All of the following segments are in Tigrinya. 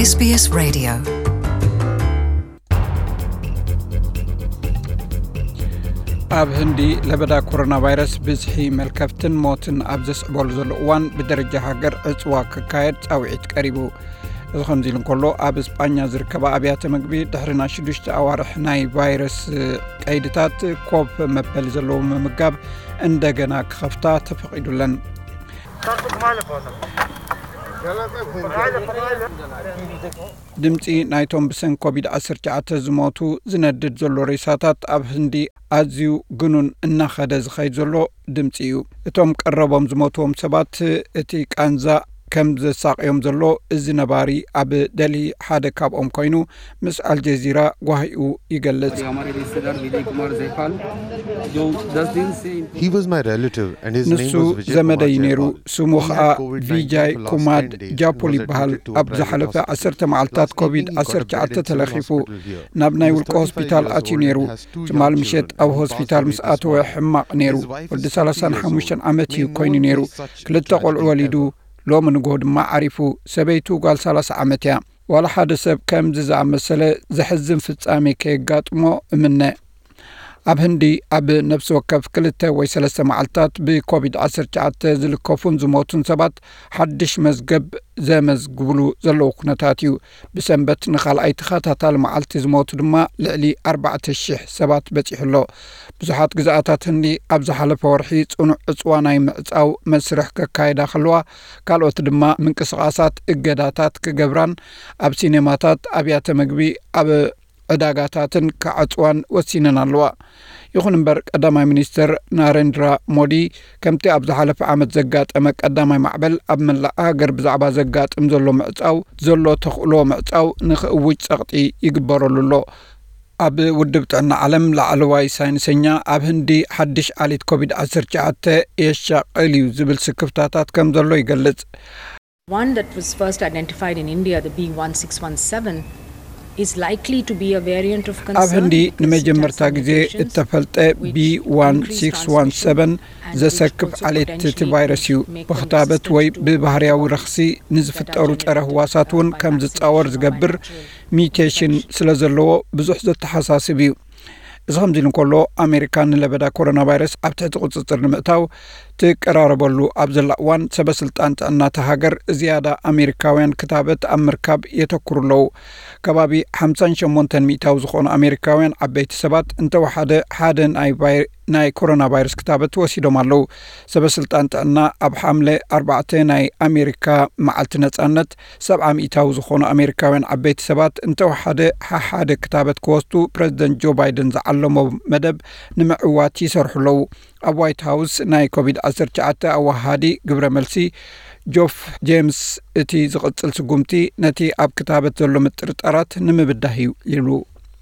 SBS Radio. ኣብ ህንዲ ለበዳ ኮሮና ቫይረስ ብዝሒ መልከፍትን ሞትን ኣብ ዘስዕበሉ ዘሎ እዋን ብደረጃ ሃገር ዕፅዋ ክካየድ ፃውዒት ቀሪቡ። እዚ ከምዚ ኢሉ እንከሎ ኣብ እስጳኛ ዝርከባ ኣብያተ ምግቢ ድሕሪ ናይ ሽዱሽተ ኣዋርሕ ናይ ቫይረስ ቀይድታት ኮፍ መበሊ ዘለዎ ምምጋብ እንደገና ክኸፍታ ተፈቒዱለን። ድምፂ ናይቶም ብሰንኪ ኮቪድ ዓሰርተ ትሽዓተ ዝሞቱ ዝነድድ ዘሎ ሬሳታት ኣብ ህንዲ ኣዝዩ ግኑን እናኸደ ዝኸይድ ዘሎ ድምፂ እዩ። እቶም ቀረቦም ዝሞትዎም ሰባት እቲ ቃንዛ ከም ዘሳቕዮም ዘሎ እዚ ነባሪ ኣብ ደልሂ ሓደ ካብኦም ኮይኑ ምስ ኣልጀዚራ ጓሂኡ ይገልጽ። हमारे रिश्तेदार विजय कुमार जयपाल जो दस दिन से He was my relative and his name ንሱ was Vijay ዘመደይ Kumar ነይሩ። Jayapal. ስሙ He ኸኣ had COVID nineteen ቪጃይ for the last ኩማድ ten days and was ጃፖል admitted ይበሃል። to a ኣብ private ዝሓለፈ hospital. ዓሰርተ መዓልታት Last evening, ኮቪድ he got a ዓሰርተ bed ትሽዓተ in civil ተለኺፉ hospital here. ናብ ናይ He was ውልቀ thirty-five ሆስፒታል years ኣትዩ old ነይሩ። and has two young ትማሊ ምሸት children who ኣብ passed ሆስፒታል away ምስ this ኣተወ week. ሕማቕ ነይሩ። His wife is ወዲ sixty ሰላሳን years ሓሙሽተን old. ዓመት እዩ May ኮይኑ never ነይሩ። see such ክልተ tragedy ቆልዑ ወሊዱ ever. ሎሚ ንግሆ ድማ ዓሪፉ። ሰበይቱ ጓል ሰላሳ ዓመት እያ። ዋላ ሓደ ሰብ ከምዚ ዝኣመሰለ ዘሕዝን ፍጻሜ ከየጋጥሞ እምነ። ኣብ ህንዲ ኣብ ነፍሲ ወከፍ ክልተ ወይ ሰለስተ መዓልታት ብኮቪድ ዓሰርተ ትሽዓተ ዝልከፉን ዝሞቱን ሰባት ሓድሽ መዝገብ ዘመዝግብሉ ዘለዉ ኩነታት እዩ። ብሰንበት ንኻልኣይ ተኸታታሊ መዓልቲ ዝሞቱ ድማ ልዕሊ ኣርባዕተ ሽሕ ሰባት በጺሑ ኣሎ። ብዙሓት ግዝኣታት ህንዲ ኣብ ዝሓለፈ ወርሒ ጽኑዕ ዕጽዋ ናይ ምዕጻው መስርሕ ከካይዳ ከለዋ፣ ካልኦት ድማ ምንቅስቓሳት እገዳታት ክገብራን ኣብ ሲኔማታት፣ ኣብያተ መግቢ፣ ኣብ ዕዳጋታትን ክዓጽዋን ወሲነን ኣለዋ። ይኹን እምበር ቀዳማይ ሚኒስትር ናሬንድራ ሞዲ ከምቲ ኣብ ዝሓለፈ ዓመት ዘጋጠመ ቀዳማይ ማዕበል ኣብ መላእ ሃገር ብዛዕባ ዘጋጥም ዘሎ ምዕጻው ዘሎ ተኽእሎ ምዕጻው ንኽእውጅ ጸቕጢ ይግበረሉ ኣሎ። ኣብ ውድብ ጥዕና ዓለም ላዕለዋይ ሳይንሰኛ ኣብ ህንዲ ሓድሽ ዓሌት ኮቪድ ዓሰርተ ትሽዓተ የሻቕል እዩ ዝብል ስክፍታታት ከም ዘሎ ይገልጽ። One that was first identified in India, the B one six one seven, is likely to be a variant of concern. ኣብ ህንዲ ንመጀመርታ ግዜ እተፈልጠ ቢ ዋን ሲክስ ዋን ሰቨን ዘሰክፍ ዓሌት እቲ ቫይረስ እዩ። ብክታበት ወይ ብባህርያዊ ረኽሲ ንዝፍጠሩ ጸረ ህዋሳት እውን ከም ዝጻወር ዝገብር ሚውቴሽን ስለ ዘለዎ ብዙሕ ዘተሓሳስብ እዩ። እዚ ከምዚ ኢሉ እንከሎ፣ ኣሜሪካ ንለበዳ ኮሮና ቫይረስ ኣብ ትሕቲ ቁጽጽር ንምእታው ትቀራረበሉ ኣብ ዘላ እዋን፣ ሰበ ስልጣን ጥዕና እታ ሃገር ዝያዳ ኣሜሪካውያን ክታበት ኣብ ምርካብ የተኩሩ ኣለዉ። ከባቢ ሓምሳን ሸሞንተን ሚእታዊ ዝኾኑ ኣሜሪካውያን ዓበይቲ ሰባት እንተወሓደ ሓደ ናይ ቫይ-፣ ናይ ኮሮና ቫይረስ ክታበት ወሲዶም ኣለዉ። ሰበ ስልጣን ጥዕና ኣብ ሓምለ ኣርባዕተ ናይ ኣሜሪካ መዓልቲ ነጻነት ሰብዓ ሚእታዊ ዝኾኑ ኣሜሪካውያን ዓበይቲ ሰባት እንተወሓደ ሓሓደ ክታበት ክወስዱ ፕረዚደንት ጆ ባይደን ዝዓለሞ መደብ ንምዕዋት ይሰርሑ ኣለዉ። ኣብ ዋይት ሃውስ ናይ ኮቪድ ዓሰርተ ትሽዓተ ኣወሃሃዲ ግብረ መልሲ ጆፍ ጄምስ፣ እቲ ዝቕጽል ስጉምቲ ነቲ ኣብ ክታበት ዘሎ ምጥርጣራት ንምብዳህ እዩ ይብሉ።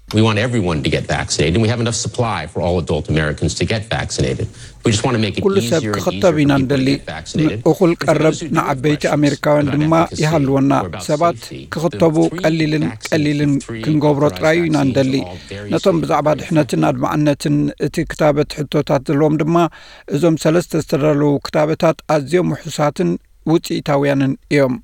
We want everyone to get vaccinated, and we have enough supply for all adult Americans to get vaccinated. We just want to make it ኩሉ ሰብ easier and ክኽተብ easier for ኢና people to እንደሊ። get vaccinated. እኹል For ቀረብ those who do have ንዓበይቲ questions ኣሜሪካውያን about ድማ efficacy ይሃልወና። or about ሰባት safety, ክኽተቡ the three ቀሊልን vaccine- ቀሊልን three ክንገብሮ authorized ጥራይ ኢና vaccines እንደሊ። are all very ነቶም safe, ብዛዕባ very ድሕነትን effective. ኣድማዕነትን እቲ ክታበት ሕቶታት ዘለዎም ድማ እዞም ሰለስተ ዝተዳለዉ ክታበታት ኣዝዮም ውሑሳትን ውፅኢታውያንን እዮም።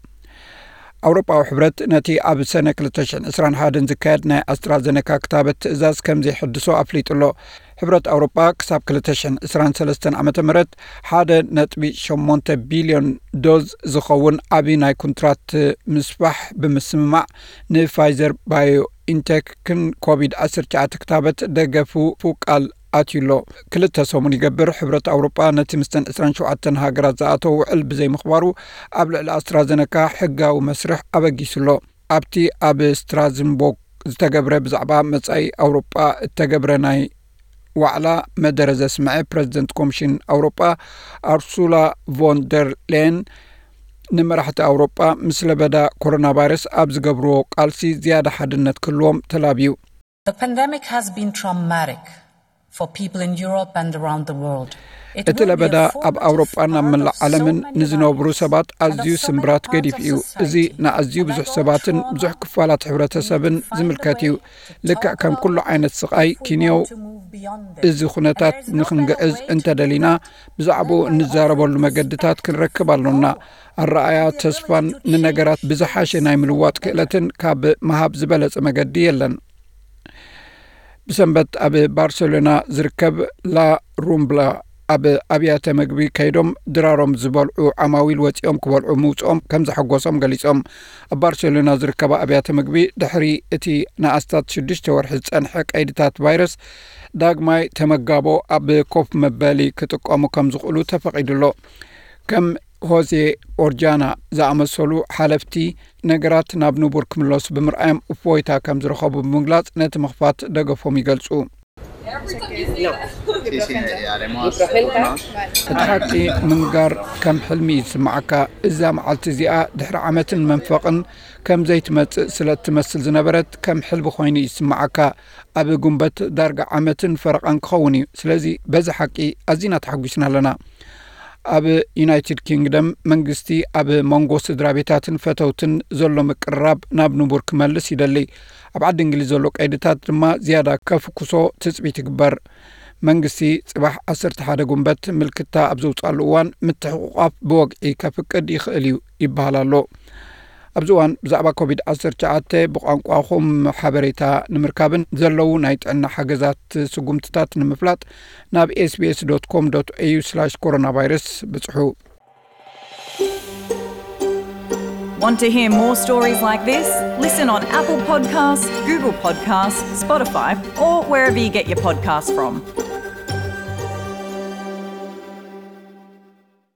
ኣውሮጳዊ ሕብረት ነቲ ኣብ ሰነ ክልተ ሽሕን ዕስራን ሓደን ዝካየድ ናይ ኣስትራዘነካ ክታበት ትእዛዝ ከም ዘይሕድሶ ኣፍሊጡ ኣሎ። ሕብረት ኣውሮጳ ክሳብ ክልተ ሽሕን ዕስራን ሰለስተን ዓመተ ምህረት ሓደ ነጥቢ ሸሞንተ ቢልዮን ዶዝ ዝኸውን ዓቢ ናይ ኩንትራት ምስፋሕ ብምስምማዕ ንፋይዘር ባዮኢንቴክን ኮቪድ ዓሰርተ ትሽዓተ ክታበት ደገፉ ቃል ኣትዩ ኣሎ። ክልተ ሰሙን ይገብር ሕብረት ኣውሮጳ ነቲ ምስተን ዕስራን ሸውዓተን ሃገራት ዝኣተወ ውዕል ብዘይምኽባሩ ኣብ ልዕሊ ኣስትራዘነካ ሕጋዊ መስርሕ ኣበጊሱ ኣሎ። ኣብቲ ኣብ ስትራዝንቦርግ ዝተገብረ ብዛዕባ መጻኢ ኣውሮጳ እተገብረ ናይ ዋዕላ መደረ ዘስምዐ ፕረዚደንት ኮሚሽን ኣውሮጳ ኣርሱላ ቮን ደር ሌየን ንመራሕቲ ኣውሮጳ ምስ ለበዳ ኮሮና ቫይረስ ኣብ ዝገብርዎ ቃልሲ ዝያዳ ሓድነት ክህልዎም ተላብዩ። The pandemic has been traumatic for people in Europe and around the world. እቲ ለበዳ ኣብ ኣውሮጳን ኣብ መላእ ዓለምን ንዝነብሩ ሰባት ኣዝዩ ስምብራት ገዲፍ እዩ። እዚ ንኣዝዩ ብዙሕ ሰባትን ብዙሕ ክፋላት ሕብረተሰብን ዝምልከት እዩ። ልክዕ ከም ኩሉ ዓይነት ስቓይ ኪንዮው፣ እዚ ኩነታት ንኽንግዕዝ እንተደሊና ብዛዕባኡ እንዛረበሉ መገድታት ክንረክብ ኣሎና። ኣረኣያ ተስፋን ንነገራት ብዝሓሸ ናይ ምልዋጥ ክእለትን ካብ ምሃብ ዝበለጸ መገዲ የለን። ብሰንበት ኣብ ባርሴሎና ዝርከብ ላ ሩምብላ ኣብ ኣብያተ ምግቢ ከይዶም ድራሮም ዝበልዑ ዓማዊል ወፂኦም ክበልዑ ምውፅኦም ከም ዘሐጎሶም ገሊፆም። ኣብ ባርሴሎና ዝርከባ ኣብያተ ምግቢ ድሕሪ እቲ ንኣስታት ሽዱሽተ ወርሒ ዝፀንሐ ቀይድታት ቫይረስ ዳግማይ ተመጋቦ ኣብ ኮፍ መበሊ ክጥቀሙ ከም ዝኽእሉ ተፈቒዱ ኣሎ። ከም ሆዜ ኦርጃና ዝኣመሰሉ ሓለፍቲ ነገራት ናብ ንቡር ክምለሱ ብምርኣዮም እፎይታ ከም ዝረኸቡ ብምግላፅ ነቲ ምኽፋት ደገፎም ይገልፁ። እቲ ሓቂ ምንጋር ከም ሕልሚ እዩ ዝስምዓካ። እዛ መዓልቲ እዚኣ ድሕሪ ዓመትን መንፈቕን ከም ዘይትመጽእ ስለ እትመስል ዝነበረት ከም ሕልሚ ኮይኑ እዩ ዝስምዓካ። ኣብ ጉንበት ዳርጋ ዓመትን ፈረቓን ክኸውን እዩ። ስለዚ በዚ ሓቂ ኣዚና ተሓጒስና ኣለና። ኣብ ዩናይትድ ኪንግደም መንግስቲ ኣብ መንጎ ስድራ ቤታትን ፈተውትን ዘሎ ምቅርራብ ናብ ንቡር ክመልስ ይደሊ። ኣብ ዓዲ እንግሊዝ ዘሎ ቀይድታት ድማ ዝያዳ ከፍኩሶ ትጽቢት ይግበር። መንግስቲ ጽባሕ ዓሰርተ ሓደ ጉንበት ምልክታ ኣብ ዘውፅኣሉ እዋን ምትሕቑቋፍ ብወግዒ ከፍቅድ ይኽእል እዩ ይበሃል ኣሎ። ኣብዚ እዋን ብዛዕባ ኮቪድ ዓሰርተ ትሽዓተ ብቋንቋኹም ሓበሬታ ንምርካብን ዘለዉ ናይ ጥዕና ሓገዛት ስጉምትታት ንምፍላጥ ናብ ኤስቢኤስ ዶት ኮም ዶት ኤዩ ስላሽ ኮሮና ቫይረስ ብጽሑ። Want to hear more stories like this? Listen on Apple Podcasts, Google Podcasts, Spotify, or wherever you get your podcasts from.